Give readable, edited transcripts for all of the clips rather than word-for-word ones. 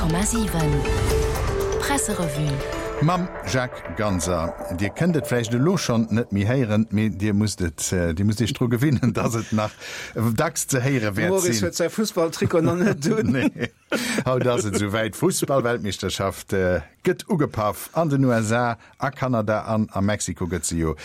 100,7 Presserevue. Mam Jacques Ganser. Dir kënnt et vläicht elo schonn net méi héieren, mee Dir musst et, Dir musst Iech dru gewinnen, dass et nach dacks ze héiere wäert sinn. De Maurice huet säi Fussballtrikot nach net un. Nee. Haut ass et esou wäit, D'Fussballweltmeeschterschaft gëtt ugepaff. An den USA, a Kanada an a Mexiko gëtt se jo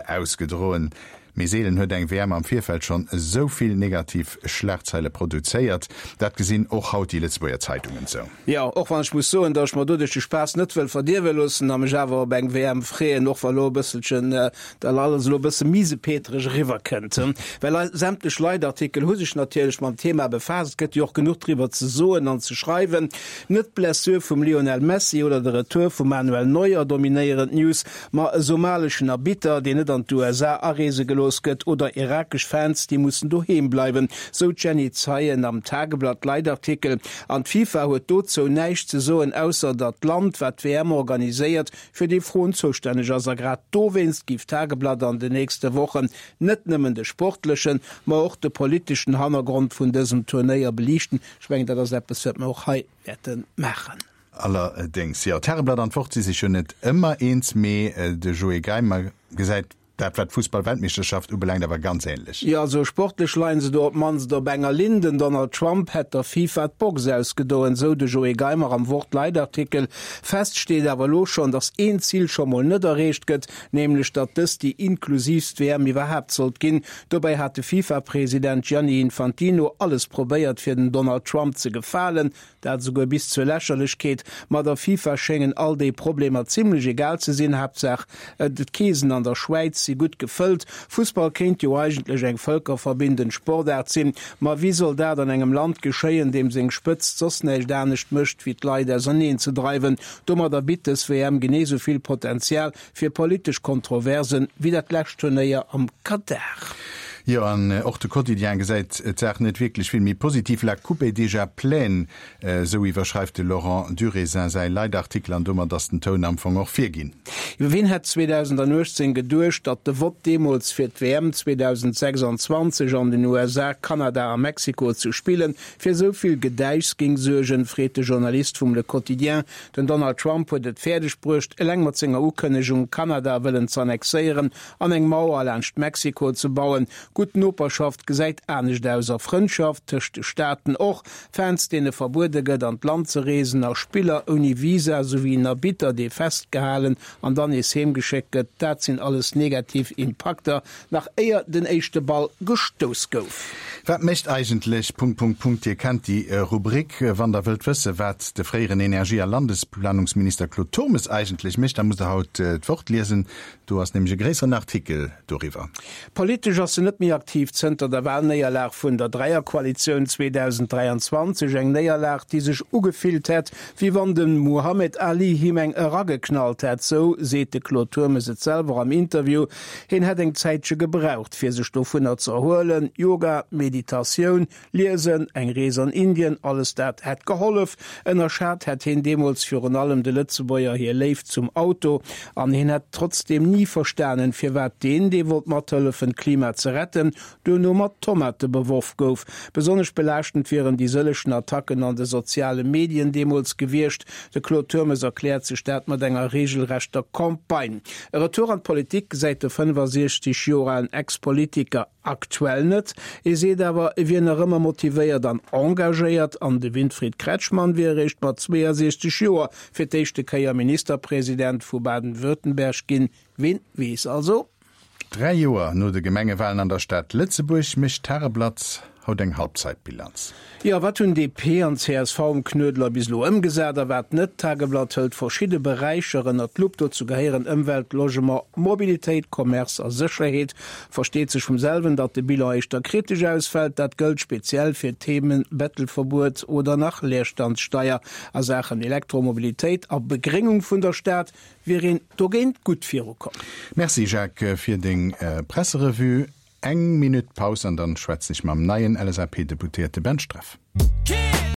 ausgedroen. Mee seelen huet eng WM am Virfeld schonn esou vill negativ Schlagzeile produzéiert. Dat gesinn och haut déi Lëtzebuerger Zeitungen esou. Jo, och wann ech muss soen, datt ech mer doduerch de Spaass net wëll verdierwe loossen a mech awer op eng WM freeën, och wa lo e bësselchen dat alles elo e bësse miesepetereg eriwwerkënnt. Well sämtlech Leitartikel hu sech natierlech mam Thema befaasst. Et gëtt jo och genuch driwwer ze soen an ze schreiwen. Net d'Blessure vum Lionel Messi oder de Retour vum Manuel Neuer dominéieren d'News, Ma e somaleschen Arbitter, deen net an d'USA areese gelooss gëtt, oder irakesch Fans, déi mussen doheem bleiwen, sou d'Jenny Zeien am Tageblatt-Leitartikel. An d'FIFA huet dozou näischt ze soen, ausser datt d'Land, wat d'WM organiséiert, fir déi Froen zoustänneg ass. A grad dowéinst géif d'Tageblatt an den nächste Wochen net nëmmen de sportlechen, ma och de politeschen Hannergrond vun dësem Turnéier beliichten. Ech mengen, dat ass eppes, wat mer och hei wäerte maachen. Allerdéngs, jo, d'Tageblatt an d'Wort si sech jo net ëmmer eens, mee de Joé Geimer gesäit dat, wat d'Fussball-Weltmeeschterschaft ubelaangt, awer ganz änlech. Jo, also sportlech leien se do op d'mannst op enger Linn. Den Donald Trump hätt der FIFA d'Box ausgedoen, sou de Joé Geimer am Wort-Leitartikel. Fest steet awer elo schonn, datt een Zil scho mol net erreecht gëtt, nämlech datt dëst déi inklusiivst WM iwwerhaapt sollt ginn. Dobäi hat de FIFA-President Gianni Infantino alles probéiert, fir den Donald Trump ze gefalen. Dat esouguer bis zur Lächerlechkeet. Ma der FIFA schéngen all déi Problemer zimlech egal ze sinn. Haaptsaach d'Keesen an der Schwäiz si gutt gefëllt. Fussball kéint jo eigentlech eng vëlkerverbindend Sportaart sinn. Ma wéi soll dat an engem Land geschéien, deem seng Spëtzt soss näischt anescht mécht, wéi d'Leit auserneen ze dreiwen? Domadder bitt dës WM genee sou vill Potenzial fir politesch Kontroversen wéi dat lescht Turnéier am Katar. Jo, an och de Quotidien gesäit d'Saach net wierklech vill méi positiv. La coupe est déjà pleine, esou iwwerschreift de Laurent Durézin säi Leitartikel an domat ass den Toun am Fong och virginn. Wien hätt 2018 geduecht, datt de Vott deemools fir d'WM 2026 an den USA, Kanada a Mexiko ze spillen, fir esou vill Gedäischs géing suergen, freet de Journalist vum Le Quotidien. Den Donald Trump huet et fäerdeg bruecht, eleng mat senger Ukënnegung, Kanada wëllen z'annexéieren an eng Mauer laanscht Mexiko ze bauen. Gutt Noperschaft gesäit anescht aus a Frëndschaft tëscht de Staaten och. Fans, deene verbuede gëtt, an d'Land ze reesen a Spiller ouni Visa, souwéi en Arbitter, dee festgehalen an dann nees heemgeschéckt gëtt, dat sinn alles negativ Impakter, Nach éier den éischte Ball gestouss gouf. Wat mécht eigentlech Punkt Punkt Punkt? Dir kennt déi Rubrik. Wann der wëllt wësse wat de fréieren Energie a Landesplanungsminister Claude Turmes eigentlech mécht, da musst der haut d'Wort liesen. Do ass nämlech e gréisseren Artikel doriwwer. Politesch ass en net méi aktiv zënter der Walnéierlag vun der Dräierkoalitioun 2023. Eng Néierlag, déi sech ugefillt hätt, wéi wann de Muhammad Ali him eng erageknallt hätt, sou seet de Claude Turmes et selwer am Interview. Hien hätt eng Zäitche gebraucht, fir sech dovunner ze erhuelen. Yoga, Meditatioun, Liesen, eng Rees an Indien, alles dat hätt gehollef. Ënnerschat hätt hien deemools virun allem de Lëtzebuerger hir Léift zum Auto. An hien hätt trotzdeem ni verstanen, firwat deen, dee wollt mathëllefen, d'Klima ze retten, duerno mat Tomate beworf gouf. Besonnesch belaaschtend wieren déi sëllechen Attacken an de soziale Medien deemools gewiescht. De Claude Turmes erkläert sech dat mat enger reegelrechter Campagne. E Retour an d'Politik gesäit de 65 Joer alen Ex-Politiker aktuell net. E seet awer, e wier nach ëmmer motivéiert an engagéiert. An de Winfried Kretschmann wier eréischt mat 62 Joer fir d'éischte Kéier Ministerpresident vu Baden-Württemberg ginn. Ween weess also? 3 Joer no de Gemengewalen an der Stad Lëtzebuerg mécht d'Tageblatt haut eng Halbzeitbilanz. Jo, wat hunn DP an csv um Knuedler bis elo ëmgesat a wat net? D'Tageblatt hëlt verschidde Beräicher ënnert d'Lupp. Dozou gehéieren Ëmwelt, Logement, Mobilitéit, Commerce a Sécherheet. Versteet sech vum selwen, datt de Bilan éischter kritesch ausfält. Dat gëllt speziell fir d'Themen Bettelverbuet oder nach Leerstandssteier. A Saachen Elektromobilitéit a Begréngung vun der Stad wier een dogéint gutt virukomm. Merci Jacques fir deng Presserevue. Eng Minutt Paus an dann schwätzen ech mam neien LSAP-Deputéierte Ben Streff.